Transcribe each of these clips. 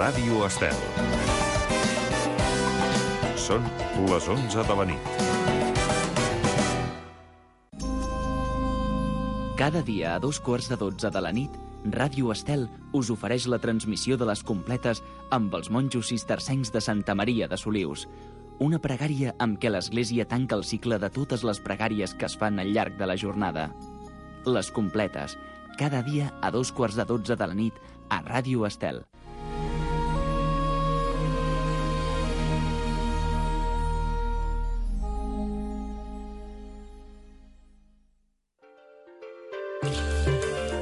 Ràdio Estel. Són les 11 de la nit. Cada dia a 2:15 de la nit, Ràdio Estel us ofereix la transmissió de les completes amb els monjos cistercencs de Santa Maria de Solius. Una pregària amb què l'Església tanca el cicle de totes les pregàries que es fan al llarg de la jornada. Les completes, cada dia a 2:15 de la nit a Ràdio Estel.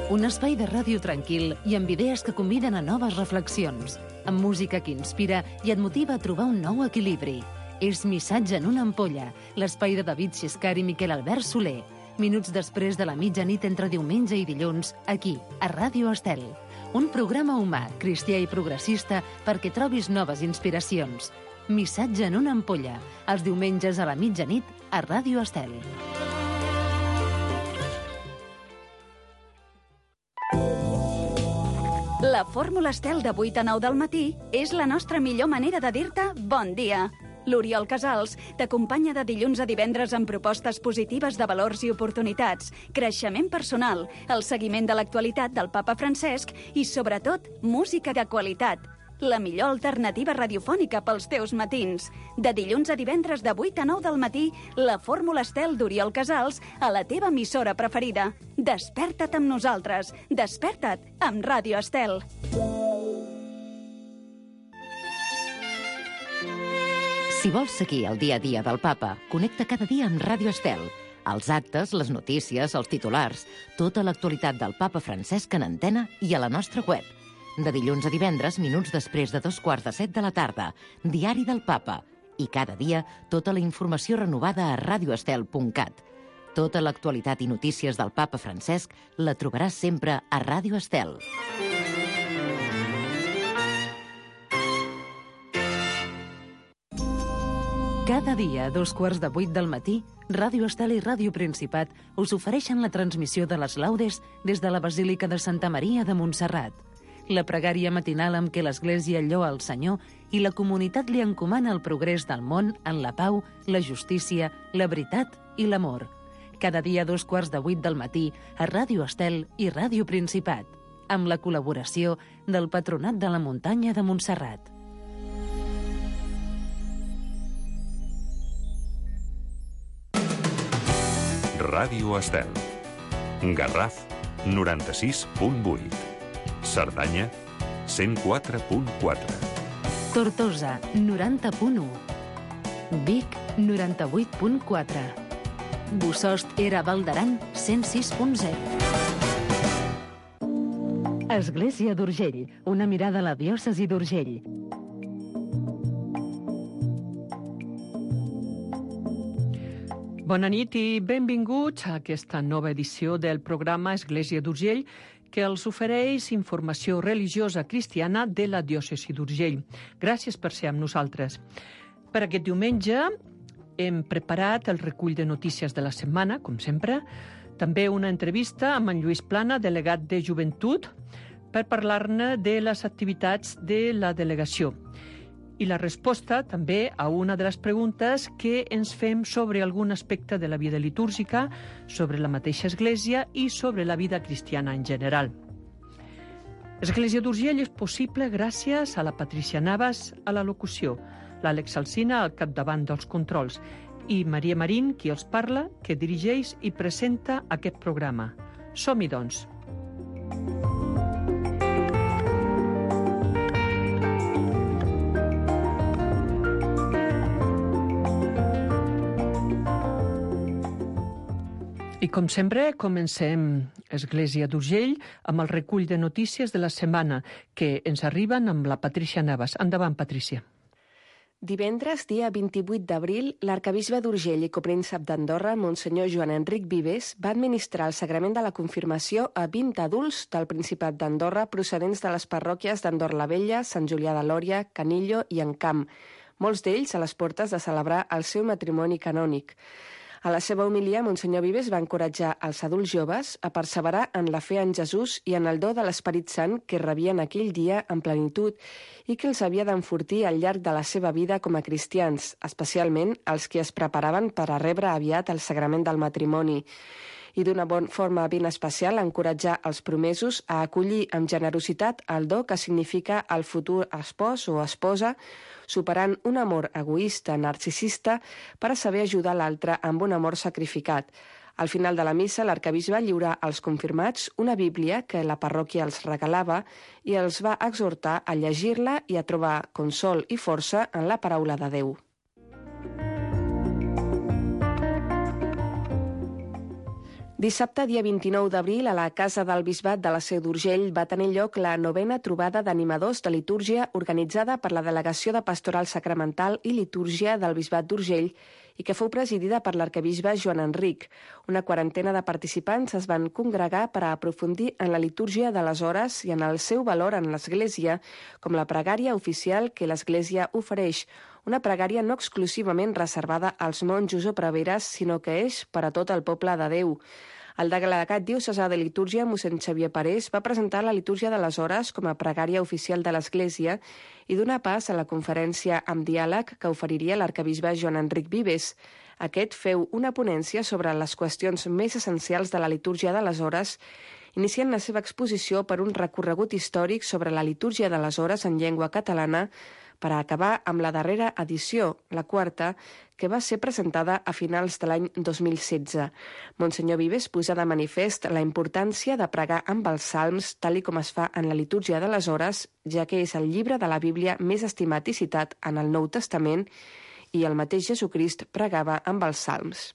Un espai de ràdio tranquil i amb idees que conviden a noves reflexions, amb música que inspira i et motiva a trobar un nou equilibri. És Missatge en una ampolla, l'espai de David Xiscar i Miquel Albert Soler. Minuts després de la mitjanit entre diumenge i dilluns, aquí, a Ràdio Estel. Un programa humà, cristià i progressista perquè trobis noves inspiracions. Missatge en una ampolla, els diumenges a la mitjanit a Ràdio Estel. La fórmula Estel de 8 a 9 del matí és la nostra millor manera de dir-te bon dia. L'Oriol Casals t'acompanya de dilluns a divendres amb propostes positives de valors i oportunitats, creixement personal, el seguiment de l'actualitat del papa Francesc i, sobretot, música de qualitat. La millor alternativa radiofònica pels teus matins. De dilluns a divendres de 8 a 9 del matí, la fórmula Estel d'Oriol Casals a la teva emissora preferida. Desperta't amb nosaltres. Desperta't amb Ràdio Estel. Si vols seguir el dia a dia del papa, connecta cada dia amb Ràdio Estel. Els actes, les notícies, els titulars, tota l'actualitat del papa Francesc en antena i a la nostra web. De dilluns a divendres, minuts després de 2:15 de la tarda, Diari del Papa. I cada dia, tota la informació renovada a radioestel.cat. Tota l'actualitat i notícies del papa Francesc la trobaràs sempre a Ràdio Estel. Cada dia a 2:15 del matí, Ràdio Estel i Ràdio Principat us ofereixen la transmissió de les laudes des de la Basílica de Santa Maria de Montserrat. La pregària matinal amb què l'Església lloa el Senyor i la comunitat li encomana el progrés del món en la pau, la justícia, la veritat i l'amor. Cada dia a 2:15 del matí a Ràdio Estel i Ràdio Principat, amb la col·laboració del Patronat de la Muntanya de Montserrat. Ràdio Estel. Garraf, 96.8. Cerdanya, 104.4. Tortosa, 90.1. Vic, 98.4. Bossòst era Val d'Aran, 106.0. Església d'Urgell, una mirada a la diòcesi d'Urgell. Bona nit i benvinguts a aquesta nova edició del programa Església d'Urgell, que els ofereix informació religiosa cristiana de la diòcesi d'Urgell. Gràcies per ser amb nosaltres. Per aquest diumenge hem preparat el recull de notícies de la setmana, com sempre, també una entrevista amb en Lluís Plana, delegat de Joventut, per parlar-ne de les activitats de la delegació. I la resposta també a una de les preguntes que ens fem sobre algun aspecte de la vida litúrgica, sobre la mateixa Església i sobre la vida cristiana en general. Església d'Urgell és possible gràcies a la Patrícia Navas a la locució, l'Àlex Alsina al capdavant dels controls i Maria Marín, qui els parla, que dirigeix i presenta aquest programa. Som-hi, doncs. I com sempre, comencem Església d'Urgell amb el recull de notícies de la setmana que ens arriben amb la Patrícia Navas. Endavant, Patrícia. Divendres, dia 28 d'abril, l'arcabisbe d'Urgell i copríncep d'Andorra, Monsenyor Joan Enric Vives, va administrar el sagrament de la confirmació a 20 adults del Principat d'Andorra procedents de les parròquies d'Andorra la Vella, Sant Julià de Lòria, Canillo i Encamp, molts d'ells a les portes de celebrar el seu matrimoni canònic. A la seva homilia, Monsenyor Vives va encoratjar els adults joves a perseverar en la fe en Jesús i en el do de l'Esperit Sant que rebien aquell dia en plenitud i que els havia d'enfortir al llarg de la seva vida com a cristians, especialment els que es preparaven per a rebre aviat el sagrament del matrimoni. I d'una forma ben especial encoratjar els promesos a acollir amb generositat el do que significa el futur espòs o esposa, superant un amor egoista, narcisista, per a saber ajudar l'altre amb un amor sacrificat. Al final de la missa, l'arquebisbe va lliurar als confirmats una Bíblia que la parròquia els regalava i els va exhortar a llegir-la i a trobar consol i força en la paraula de Déu. Dissabte, dia 29 d'abril, a la Casa del Bisbat de la Seu d'Urgell va tenir lloc la 9a trobada d'animadors de litúrgia organitzada per la Delegació de Pastoral Sacramental i Litúrgia del Bisbat d'Urgell i que fou presidida per l'arquebisbe Joan Enric. Una quarantena de participants es van congregar per a aprofundir en la litúrgia de les hores i en el seu valor en l'Església, com la pregària oficial que l'Església ofereix, una pregària no exclusivament reservada als monjos o preveres, sinó que és per a tot el poble de Déu. El delegat diocesà de litúrgia, mossèn Xavier Parés, va presentar la litúrgia de les hores com a pregària oficial de l'Església i donar pas a la conferència amb diàleg que oferiria l'arquebisbe Joan Enric Vives. Aquest feu una ponència sobre les qüestions més essencials de la litúrgia de les hores, iniciant la seva exposició per un recorregut històric sobre la litúrgia de les hores en llengua catalana, per a acabar amb la darrera edició, la quarta, que va ser presentada a finals de l'any 2016. Monsenyor Vives posa de manifest la importància de pregar amb els salms, tal i com es fa en la litúrgia de les hores, ja que és el llibre de la Bíblia més estimat i citat en el Nou Testament, i el mateix Jesucrist pregava amb els salms.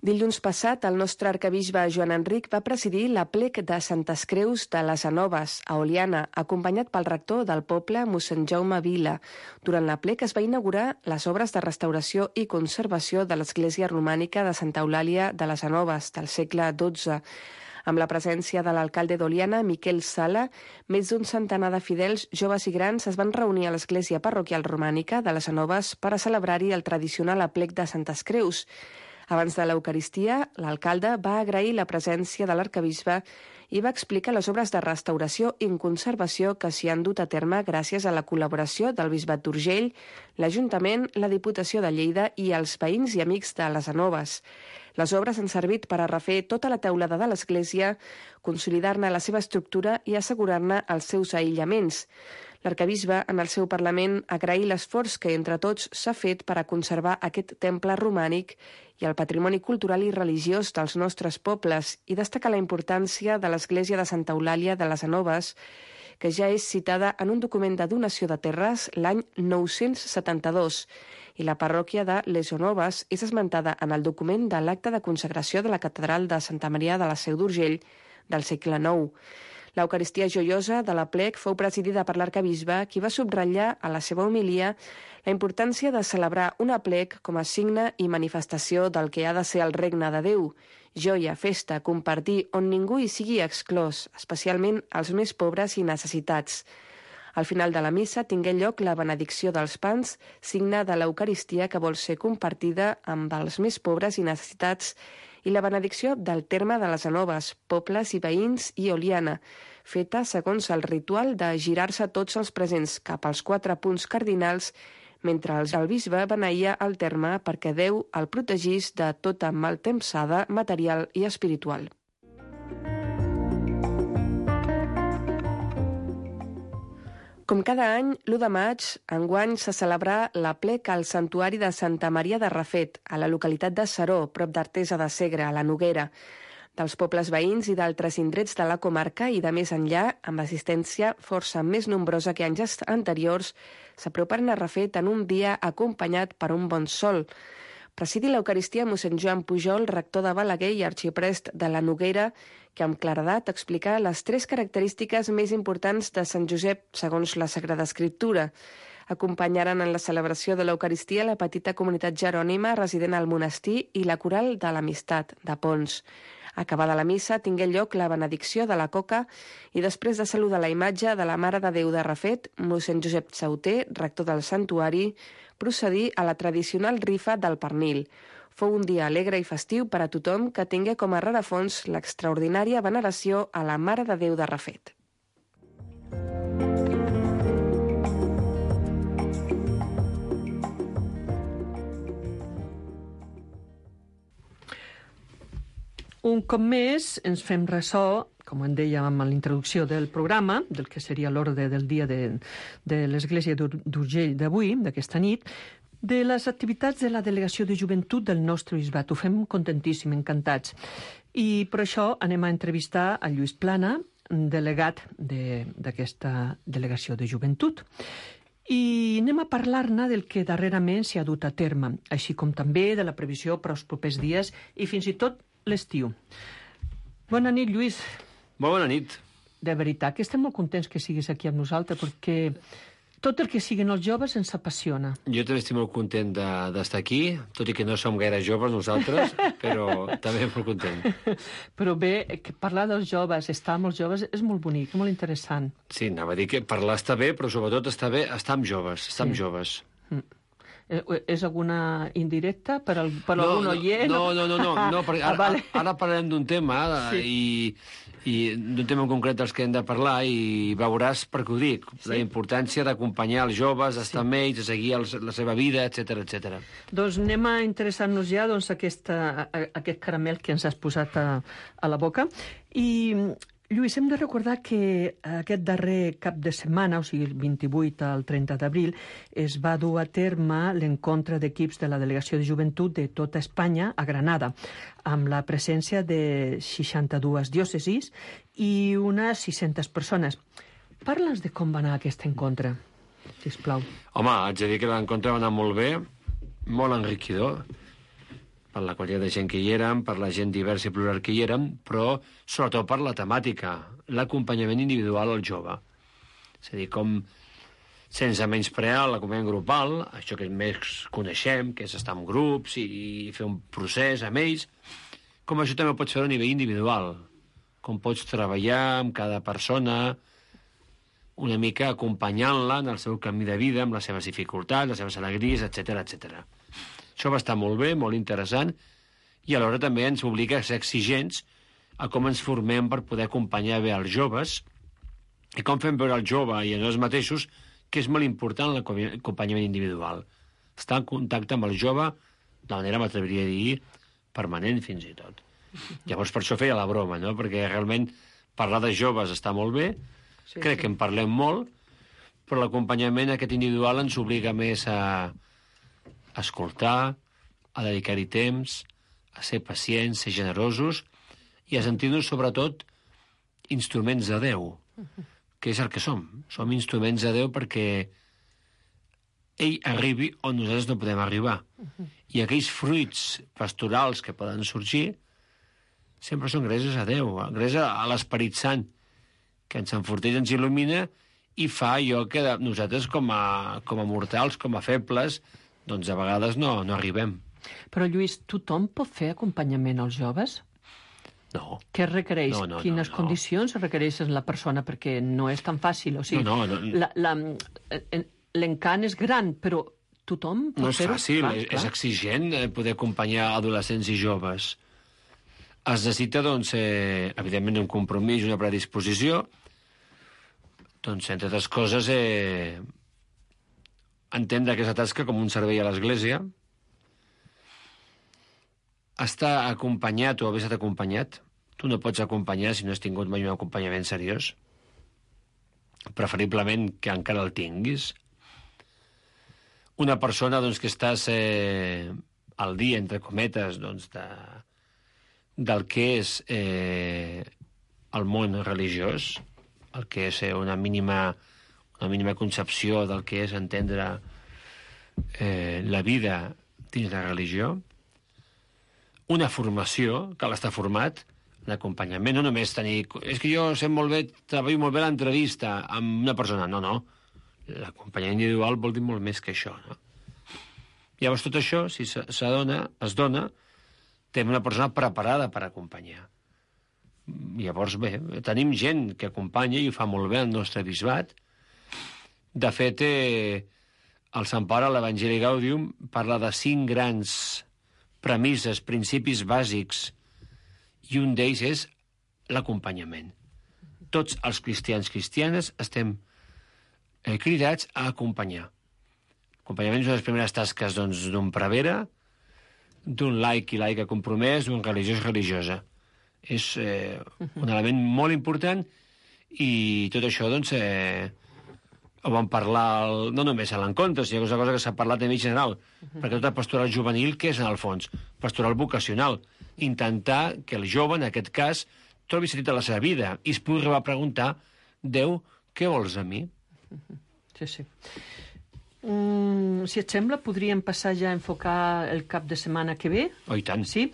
Dilluns passat, el nostre arquebisbe Joan Enric va presidir l'aplec de Santes Creus de les Anoves, a Oliana, acompanyat pel rector del poble, mossèn Jaume Vila. Durant l'aplec es va inaugurar les obres de restauració i conservació de l'església romànica de Santa Eulàlia de les Anoves, del segle XII. Amb la presència de l'alcalde d'Oliana, Miquel Sala, més d'un centenar de fidels, joves i grans, es van reunir a l'església parroquial romànica de les Anoves per a celebrar-hi el tradicional aplec de Santes Creus. Abans de l'Eucaristia, l'alcalde va agrair la presència de l'arquebisbe i va explicar les obres de restauració i conservació que s'hi han dut a terme gràcies a la col·laboració del Bisbat d'Urgell, l'Ajuntament, la Diputació de Lleida i els veïns i amics de les Anoves. Les obres han servit per a refer tota la teulada de l'església, consolidar-ne la seva estructura i assegurar-ne els seus aïllaments. L'arquebisbe, en el seu Parlament, agraí l'esforç que entre tots s'ha fet per a conservar aquest temple romànic i el patrimoni cultural i religiós dels nostres pobles i destacar la importància de l'església de Santa Eulàlia de les Anoves, que ja és citada en un document de donació de terres l'any 972, i la parròquia de Les Anoves és esmentada en el document de l'acte de consagració de la catedral de Santa Maria de la Seu d'Urgell del segle IX. L'Eucaristia joiosa de l'aplec fou presidida per l'arquebisbe, qui va subratllar a la seva homilia la importància de celebrar un aplec com a signe i manifestació del que ha de ser el regne de Déu. Joia, festa, compartir, on ningú hi sigui exclòs, especialment els més pobres i necessitats. Al final de la missa tingué lloc la benedicció dels pans, signe de l'Eucaristia que vol ser compartida amb els més pobres i necessitats, i la benedicció del terme de les Anoves, pobles i veïns i Oliana, feta segons el ritual de girar-se tots els presents cap als 4 punts cardinals, mentre el bisbe beneïa el terme perquè Déu el protegís de tota maltempsada material i espiritual. Com cada any, l'1 de maig, enguany se celebrà l'aplec al Santuari de Santa Maria de Rafet, a la localitat de Seró, prop d'Artesa de Segre, a la Noguera. Dels pobles veïns i d'altres indrets de la comarca i de més enllà, amb assistència força més nombrosa que anys anteriors, s'aproparen a Rafet en un dia acompanyat per un bon sol. Presidi l'Eucaristia mossèn Joan Pujol, rector de Balaguer i arxiprest de la Noguera, que amb claredat explica les 3 característiques més importants de Sant Josep segons la Sagrada Escriptura. Acompanyaren en la celebració de l'Eucaristia la petita comunitat jerònima resident al monestir i la coral de l'Amistat, de Pons. Acabada la missa, tingué lloc la benedicció de la coca i després de saludar la imatge de la Mare de Déu de Rafet, mossèn Josep Sauter, rector del santuari, procedir a la tradicional rifa del pernil. Fou un dia alegre i festiu per a tothom que tingué com a rerefons l'extraordinària veneració a la Mare de Déu de Rafet. Un cop més ens fem ressò, com en dèiem amb l'introducció del programa, del que seria l'ordre del dia de l'Església d'Urgell d'avui, d'aquesta nit, de les activitats de la Delegació de Joventut del nostre bisbat. Ho fem contentíssim, encantats. I per això anem a entrevistar a Lluís Plana, delegat d'aquesta Delegació de Joventut. I anem a parlar-ne del que darrerament s'hi ha dut a terme, així com també de la previsió per als propers dies i fins i tot l'estiu. Bona nit, Lluís. Molt bona nit. De veritat que estem molt contents que siguis aquí amb nosaltres, perquè tot el que siguin els joves ens apassiona. Jo també estic molt content d'estar aquí, tot i que no som gaire joves nosaltres, però també molt content. Però bé, que parlar dels joves, estar amb els joves, és molt bonic, molt interessant. Sí, anava a dir que parlar està bé, però sobretot està bé estar amb joves, estar amb joves. És alguna indirecta per algun oient? No, perquè ara parlarem d'un tema i d'un tema en concret dels que hem de parlar i veuràs per què ho dic, la importància d'acompanyar els joves, estar amb ells, seguir la seva vida, etc. Doncs anem a interessar-nos ja aquest caramel que ens has posat a la boca. I, Lluís, hem de recordar que aquest darrer cap de setmana, o sigui, el 28 al 30 d'abril, es va dur a terme l'encontre d'equips de la Delegació de Joventut de tota Espanya a Granada, amb la presència de 62 diòcesis i unes 600 persones. Parla'ns de com va anar aquest encontre, sisplau. Home, haig de dir que l'encontre va anar molt bé, molt enriquidor, per la qualitat de gent que hi érem, per la gent diversa i plural que hi érem, però sobretot per la temàtica, l'acompanyament individual al jove. És a dir, com sense menysprear l'acompanyament grupal, això que més coneixem, que és estar en grups i fer un procés amb ells, com això també ho pots fer a nivell individual, com pots treballar amb cada persona, una mica acompanyant-la en el seu camí de vida, amb les seves dificultats, les seves alegries, etc. Això va estar molt bé, molt interessant, i alhora també ens obliga a ser exigents a com ens formem per poder acompanyar bé els joves i com fem veure al jove i a nosaltres mateixos que és molt important l'acompanyament individual. Estar en contacte amb el jove de manera, m'atreviria a dir, permanent fins i tot. Llavors per això feia la broma, no? Perquè realment parlar de joves està molt bé, crec que en parlem molt, però l'acompanyament aquest individual ens obliga més a escoltar, a dedicar-hi temps, a ser pacients, ser generosos i a sentir-nos, sobretot, instruments de Déu, que és el que som. Som instruments de Déu perquè ell arribi on nosaltres no podem arribar. I aquells fruits pastorals que poden sorgir sempre són gràcies a Déu, gràcies a l'Esperit Sant, que ens enforteix, ens il·lumina i fa allò que nosaltres com a mortals, com a febles, doncs a vegades no arribem. Però, Lluís, tothom pot fer acompanyament als joves? No. Què requereix? Quines condicions requereix la persona? Perquè no és tan fàcil. O sigui, l'encant és gran, però tothom pot fer-ho? No és fàcil, és exigent poder acompanyar adolescents i joves. Es necessita, doncs, evidentment, un compromís, una predisposició, doncs, entre altres coses, entendre aquesta tasca com un servei a l'Església, estar acompanyat o haver estat acompanyat. Tu no pots acompanyar si no has tingut mai un acompanyament seriós. Preferiblement que encara el tinguis. Una persona doncs, que estàs al dia, entre cometes, doncs, del que és el món religiós, el que és una mínima concepció del que és entendre la vida dins la religió, una formació, cal estar format, un acompanyament, no només tenir... És que jo sé molt bé, treballo molt bé l'entrevista amb una persona. No. L'acompanyament individual vol dir molt més que això, no? Llavors tot això, si es dona, té una persona preparada per acompanyar. Llavors, bé, tenim gent que acompanya i ho fa molt bé el nostre bisbat. De fet, el Sant Pare, a l'Evangeli Gaudium, parla de 5 grans premisses, principis bàsics, i un d'ells és l'acompanyament. Tots els cristianes estem cridats a acompanyar. L'acompanyament és una de les primeres tasques d'un prevere, d'un laic i laica compromès, d'un religiós religiosa. És un element molt important i tot això, doncs, ho vam parlar no només a l'encontre, sinó que és una cosa que s'ha parlat a nivell general, perquè tota pastoral juvenil, què és en el fons? Pastoral vocacional. Intentar que el jove, en aquest cas, trobi sentit a la seva vida i es pugui arribar a preguntar: Déu, què vols de mi? Sí, sí. Si et sembla, podríem passar ja a enfocar el cap de setmana que ve. Oh, i tant. Sí,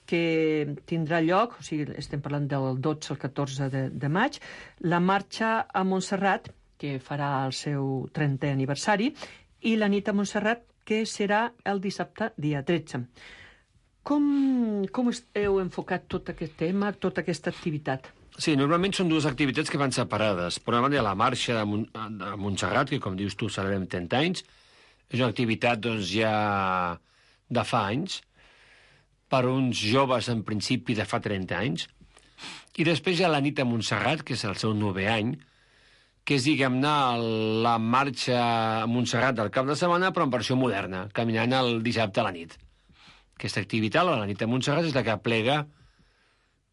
que tindrà lloc, o sigui, estem parlant del 12 al 14 de maig, la marxa a Montserrat, que farà el seu 30è aniversari, i la nit a Montserrat, que serà el dissabte, dia 13. Com heu enfocat tot aquest tema, tota aquesta activitat? Sí, normalment són dues activitats que van separades. Per una banda, la marxa de Montserrat, que, com dius tu, celebrem 30 anys. És una activitat, doncs, ja de fa anys, per uns joves, en principi, de fa 30 anys. I després hi ha la nit a Montserrat, que és el seu 9è any, que és, diguem-ne, la marxa a Montserrat del cap de setmana, però en versió moderna, caminant el dissabte a la nit. Aquesta activitat, la nit a Montserrat, és la que aplega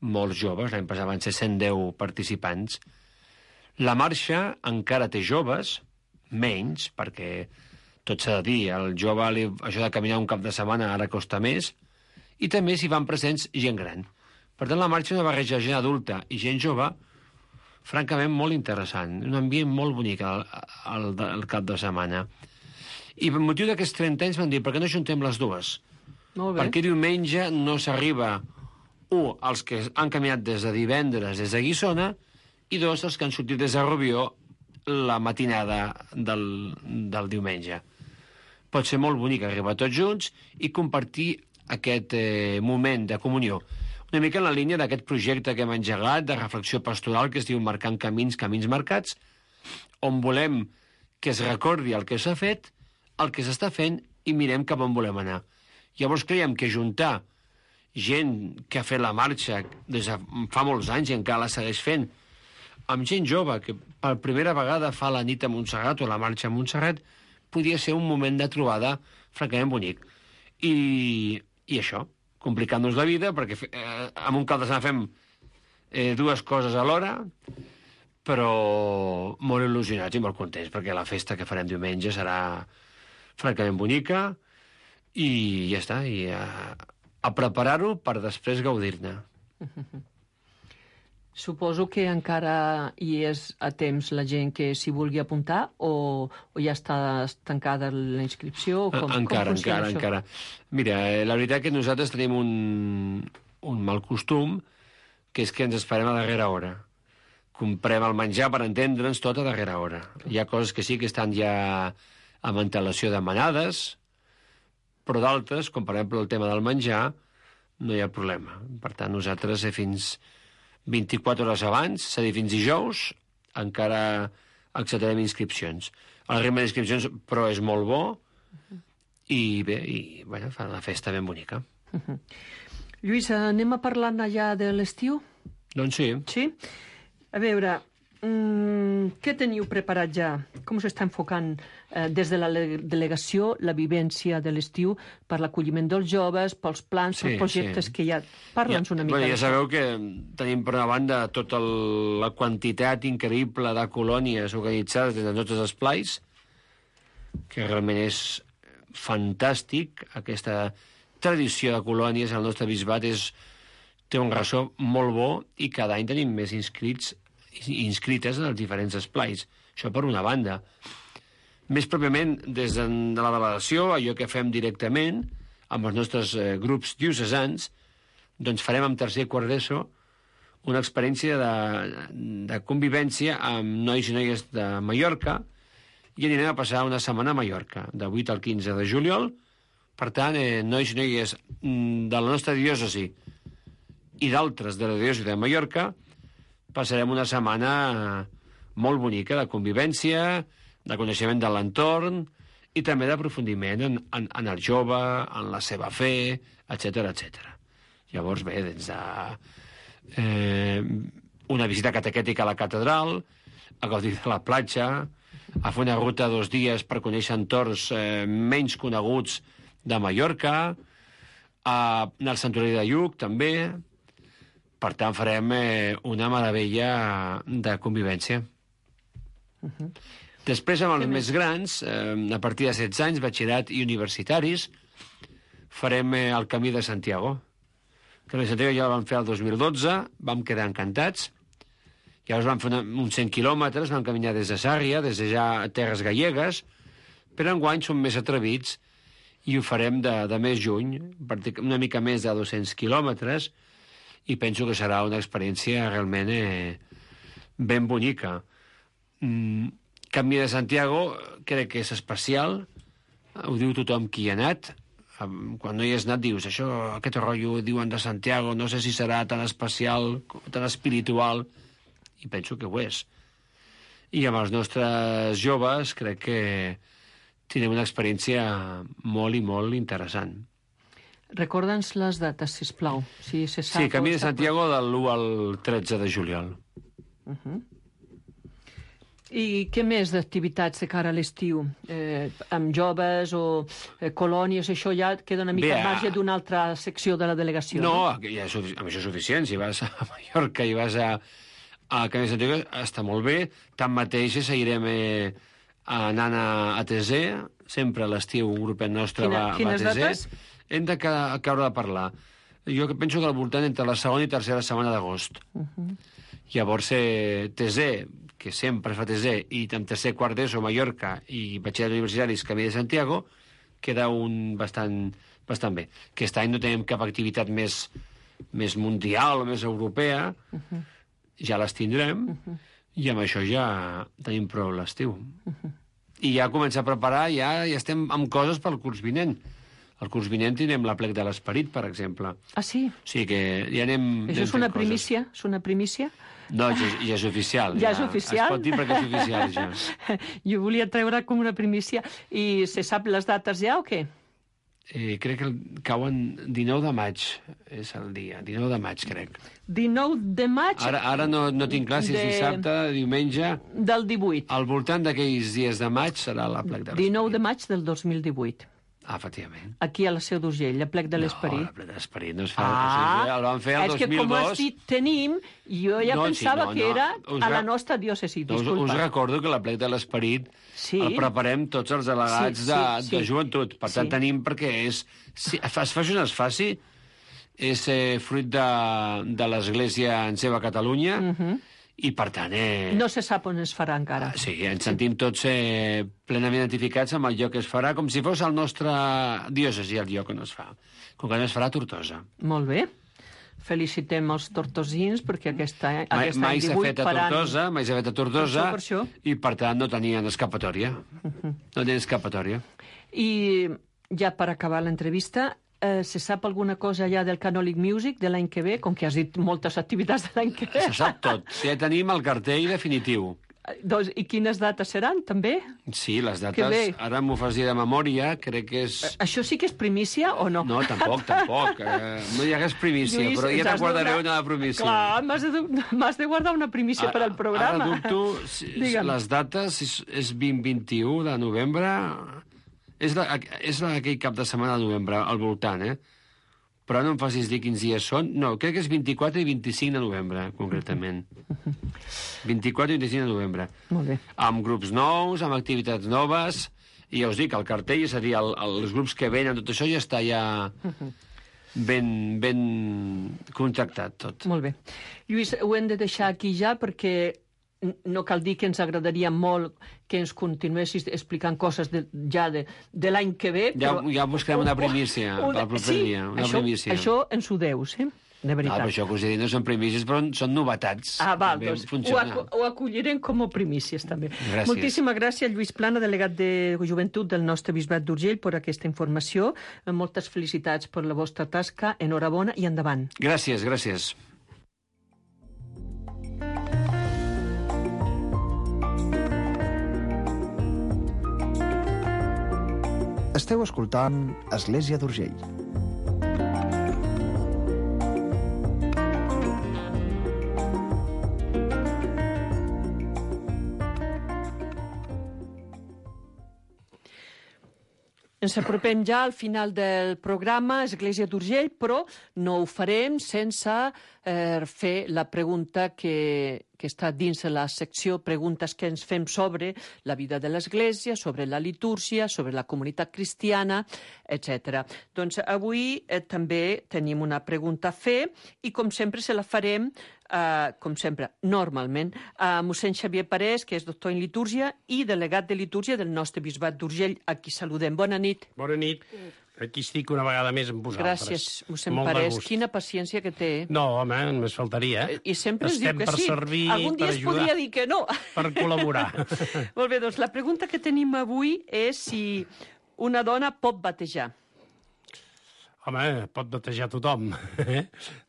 molts joves. L'any passat van ser 110 participants. La marxa encara té joves, menys, perquè tot s'ha de dir, al jove això de caminar un cap de setmana ara costa més, i també s'hi van presents gent gran. Per tant, la marxa és una barreja de gent adulta i gent jove, francament molt interessant, un ambient molt bonic al cap de setmana. I per motiu d'aquests 30 anys van dir, per què no ajuntem les dues? Molt bé. Perquè diumenge no s'arriba, els que han caminat des de divendres des de Guissona, i 2, els que han sortit des de Rubió la matinada del diumenge. Pot ser molt bonic arribar tots junts i compartir aquest moment de comunió. Una mica en la línia d'aquest projecte que hem engegat de reflexió pastoral que es diu Marcant Camins, Camins Marcats, on volem que es recordi el que s'ha fet, el que s'està fent i mirem cap on volem anar. Llavors creiem que juntar gent que ha fet la marxa des de fa molts anys i encara la segueix fent, amb gent jove que per primera vegada fa la nit a Montserrat o la marxa a Montserrat, podia ser un moment de trobada francament bonic. I això, complicant-nos la vida, perquè amb un cap de setmana fem dues coses alhora, però molt il·lusionats i molt contents, perquè la festa que farem diumenge serà francament bonica i ja està, i a preparar-ho per després gaudir-ne. Suposo que encara hi és a temps la gent que s'hi vulgui apuntar o ja està tancada la inscripció? Encara. Mira, la veritat que nosaltres tenim un mal costum, que és que ens esperem a darrera hora. Comprem el menjar, per entendre'ns, tot a darrera hora. Hi ha coses que sí que estan ja amb antelació demanades, però d'altres, com per exemple el tema del menjar, no hi ha problema. Per tant, nosaltres fins 24 hores abans, és a dir, fins dijous, encara acceptarem inscripcions. El ritme d'inscripcions, però, és molt bo i bé, bueno, fa una festa ben bonica. Lluís, anem a parlar allà de l'estiu? Doncs sí. Sí? A veure, què teniu preparat ja? Com s'està enfocant des de la delegació la vivència de l'estiu per l'acolliment dels joves, pels plans, pels projectes que hi ha? Parla'ns una mica. Ja sabeu que tenim per una banda tota la quantitat increïble de colònies organitzades des de tots els esplais, que realment és fantàstic. Aquesta tradició de colònies al nostre bisbat té un ressò molt bo i cada any tenim més inscrites en els diferents esplais. Això per una banda. Més pròpiament, des de la delegació, allò que fem directament, amb els nostres grups diocesans, doncs farem amb tercer i quart d'ESO una experiència de convivència amb nois i noies de Mallorca i anirem a passar una setmana a Mallorca, de 8 al 15 de juliol. Per tant, nois i noies de la nostra diòcesi i d'altres de la diòcesi de Mallorca, passarem una setmana molt bonica de convivència, de coneixement de l'entorn i també d'aprofundiment en el jove, en la seva fe, etc etc. Llavors, bé, des de una visita catequètica a la catedral, a gaudir de la platja, a fer una ruta 2 dies per conèixer entorns menys coneguts de Mallorca, a anar al Santuari de Lluc, també. Per tant, farem una meravella de convivència. Després, amb els més grans, a partir de 16 anys, batxillerat i universitaris, farem el Camí de Santiago. El Camí de Santiago ja el vam fer el 2012, vam quedar encantats. Llavors vam fer uns 100 quilòmetres, vam caminar des de Sàrria, des de ja terres gallegues, però enguany som més atrevits i ho farem de més juny, una mica més de 200 quilòmetres, i penso que serà una experiència realment ben bonica. Camí de Santiago crec que és especial, ho diu tothom qui hi ha anat. Quan no hi has anat dius, aquest rotllo diuen de Santiago, no sé si serà tan especial, tan espiritual, i penso que ho és. I amb els nostres joves crec que tindrem una experiència molt i molt interessant. Recorda'ns les dates, sisplau. Si se sap. Sí, Camí de Santiago de l'1 al 13 de juliol. I què més d'activitats de cara a l'estiu? Amb joves o colònies, això ja queda una mica al marge d'una altra secció de la delegació. No, amb això és suficient. Si vas a Mallorca i vas a Camí de Santiago, està molt bé. Tanmateix seguirem anant a Tesé. Sempre a l'estiu un grupet nostre va a Tesé. Quines dates? Hem de caure de parlar. Jo penso que al voltant entre la segona i tercera setmana d'agost. Llavors, Tesé, que sempre es fa Tesé, i en tercer quart d'ESO, Mallorca, i batxillerat universitaris, Camí de Santiago, queda bastant bé. Aquest any no tenim cap activitat més mundial o més europea, ja les tindrem, i amb això ja tenim prou l'estiu. I ja començar a preparar, ja estem amb coses pel curs vinent. El curs vinent tindrem l'Aplec de l'Esperit, per exemple. Ah, sí? Sí, que ja anem... Això és una primícia? És una primícia? No, ja és oficial. Ja és oficial? Es pot dir perquè és oficial, ja. Jo volia treure com una primícia. I se sap les dates ja o què? Crec que cauen 19 de maig, és el dia. 19 de maig, crec. 19 de maig? Ara no tinc clar si és dissabte, diumenge... Del 18. Al voltant d'aquells dies de maig serà l'Aplec de l'Esperit. 19 de maig del 2018. Ah, efectivament. Aquí a la Seu d'Urgell, l'Aplec de l'Esperit. No, l'Aplec de l'Esperit no es fa. El vam fer el 2002. És que com has dit tenim, jo ja pensava que era a la nostra diòcesi. Disculpa. Us recordo que l'Aplec de l'Esperit el preparem tots els delegats de joventut. Per tant, tenim perquè es faci on es faci, és fruit de l'Església en seva Catalunya, i per tant... No se sap on es farà encara. Sí, ens sentim tots plenament identificats amb el lloc que es farà, com si fos el nostre diòcesi el lloc on es fa. Com que no es farà a Tortosa. Molt bé. Felicitem els tortosins, perquè aquest any mai s'ha fet a Tortosa, mai s'ha fet a Tortosa, per això. I per tant no tenien escapatòria. No tenien escapatòria. I ja per acabar l'entrevista... se sap alguna cosa ja del Canòlic Music de l'any que ve, com que has dit moltes activitats de l'any que ve? Se sap tot. Ja tenim el cartell definitiu. Doncs, i quines dates seran, també? Sí, les dates, ara m'ho fas dir de memòria, crec que és... Això sí que és primícia o no? No, tampoc. No hi hagués primícia, Lluís, però ja te guardaré una primícia. Clar, m'has de guardar una primícia per al programa. Ara dubto, les dates és 20-21 de novembre... És aquell cap de setmana de novembre, al voltant, Però no em facis dir quins dies són. No, crec que és 24 i 25 de novembre, concretament. 24 i 25 de novembre. Molt bé. Amb grups nous, amb activitats noves, i ja us dic, el cartell, és a dir, els grups que venen, tot això ja està ben contractat, tot. Molt bé. Lluís, ho hem de deixar aquí ja, perquè no cal dir que ens agradaria molt que ens continuessis explicant coses de l'any que ve. Ja buscarem una primícia per al proper dia. Una primícia. Això ens ho deus, de veritat. Per això que us he dit no són primícies, però són novetats. Val, També doncs funciona. ho acollirem com a primícies, també. Gràcies. Moltíssimes gràcies, Lluís Plana, delegat de Joventut del nostre Bisbat d'Urgell, per aquesta informació. Moltes felicitats per la vostra tasca, enhorabona i endavant. Gràcies, gràcies. Esteu escoltant Església d'Urgell. Ens apropem ja al final del programa Església d'Urgell, però no ho farem sense fer la pregunta que està dins de la secció Preguntes que ens fem sobre la vida de l'Església, sobre la litúrgia, sobre la comunitat cristiana, etc. Doncs avui també tenim una pregunta a fer i, com sempre, se la farem com sempre, normalment, a mossèn Xavier Parés, que és doctor en litúrgia i delegat de litúrgia del nostre bisbat d'Urgell, a qui saludem. Bona nit. Bona nit. Aquí estic una vegada més amb vosaltres. Gràcies, mossèn Parés. Quina paciència que té. No, home, només faltaria. I sempre es diu que sí. Servir, algun dia es ajudar, podria dir que no. Per col·laborar. Molt bé, doncs la pregunta que tenim avui és si una dona pot batejar. Home, pot batejar tothom.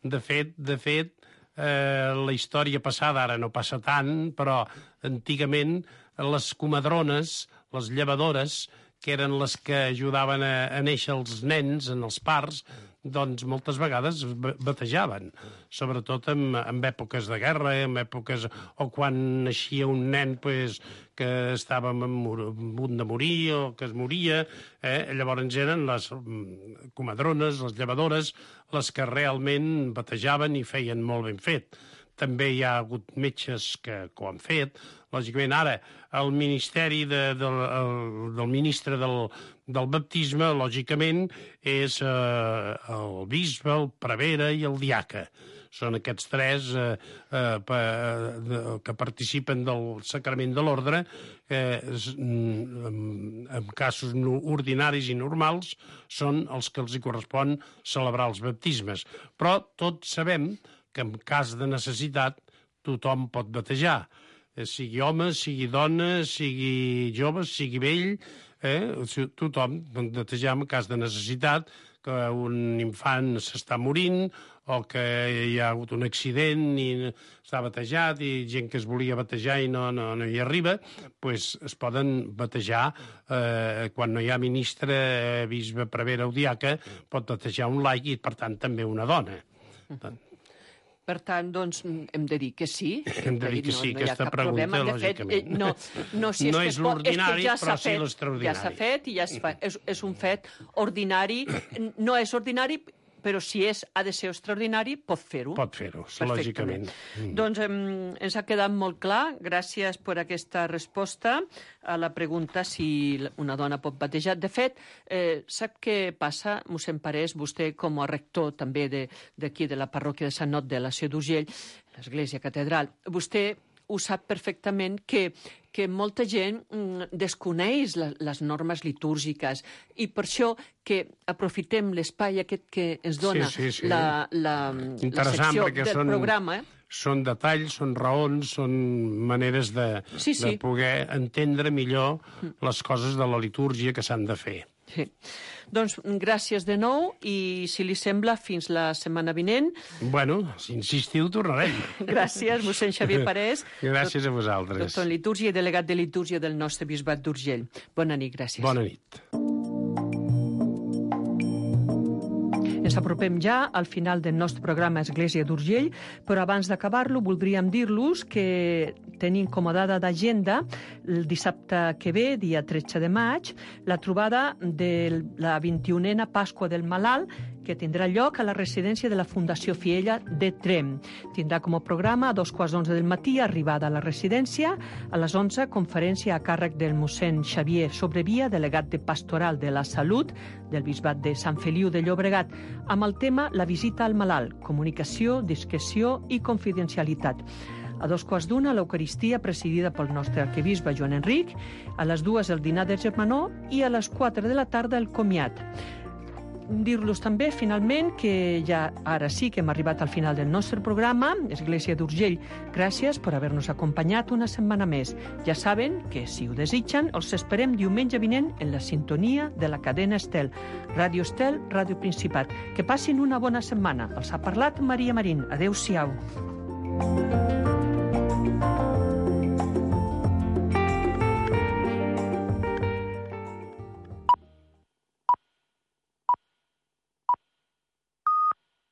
De fet, la història passada, ara no passa tant, però antigament les comadrones, les llevadores, que eren les que ajudaven a néixer els nens en els parts, doncs moltes vegades batejaven, sobretot en èpoques de guerra, en èpoques o quan naixia un nen pues, que estava a punt de morir o que es moria. Llavors eren les comadrones, les llevadores, les que realment batejaven i feien molt ben fet. També hi ha hagut metges que ho han fet. Lògicament, ara, el ministeri del ministre del baptisme, lògicament, és el bisbe, el prevere i el diaca. Són aquests tres que participen del sacrament de l'ordre. En casos ordinaris i normals són els que els hi correspon celebrar els baptismes. Però tots sabem que en cas de necessitat tothom pot batejar, sigui home, sigui dona, sigui jove, sigui vell, tothom pot batejar en cas de necessitat, que un infant s'està morint o que hi ha hagut un accident i està batejat i gent que es volia batejar i no hi arriba, doncs es poden batejar quan no hi ha ministre, bisbe, prevere o diaca, pot batejar un laic i, per tant, també una dona. Per tant, doncs, hem de dir que sí. Hem de dir que sí, aquesta pregunta, lògicament. No és l'ordinari, però sí l'extraordinari. Ja s'ha fet i ja es fa. És un fet ordinari. No és ordinari, però si ha de ser extraordinari, pot fer-ho. Pot fer-ho, lògicament. Doncs ens ha quedat molt clar. Gràcies per aquesta resposta a la pregunta si una dona pot batejar. De fet, sap què passa, mossèn Parés, vostè com a rector també d'aquí, de la parròquia de Sant Not de la Ciutat d'Urgell, l'Església Catedral, vostè ho sap perfectament que molta gent desconeix les normes litúrgiques i per això que aprofitem l'espai aquest que ens dona la secció del programa. Són detalls, són raons, són maneres de poder entendre millor les coses de la litúrgia que s'han de fer. Sí. Doncs gràcies de nou i, si li sembla, fins la setmana vinent. Bueno, si insistiu, tornarem. Gràcies, mossèn Xavier Parés. Gràcies a vosaltres. Doctor en litúrgia i delegat de litúrgia del nostre bisbat d'Urgell. Bona nit, gràcies. Bona nit. Ens apropem ja al final del nostre programa Església d'Urgell, però abans d'acabar-lo voldríem dir-los que tenim com a data d'agenda el dissabte que ve, dia 13 de maig, la trobada de la 21a Pasqua del Malalt, que tindrà lloc a la residència de la Fundació Fiella de Tremp. Tindrà com a programa a 2:15 del matí arribada a la residència, a les 11 conferència a càrrec del mossèn Xavier Sobrevia, delegat de Pastoral de la Salut del Bisbat de Sant Feliu de Llobregat, amb el tema La visita al malalt, comunicació, discreció i confidencialitat. A 2:15 l'Eucaristia presidida pel nostre arquebisbe Joan Enric, a les 2 el dinar de germanor i a les 4 de la tarda el comiat. dir-los també, finalment, que ja ara sí que hem arribat al final del nostre programa. Església d'Urgell, gràcies per haver-nos acompanyat una setmana més. Ja saben que, si ho desitgen, els esperem diumenge vinent en la sintonia de la cadena Estel. Ràdio Estel, Ràdio Principat. Que passin una bona setmana. Els ha parlat Maria Marín. Adéu-siau.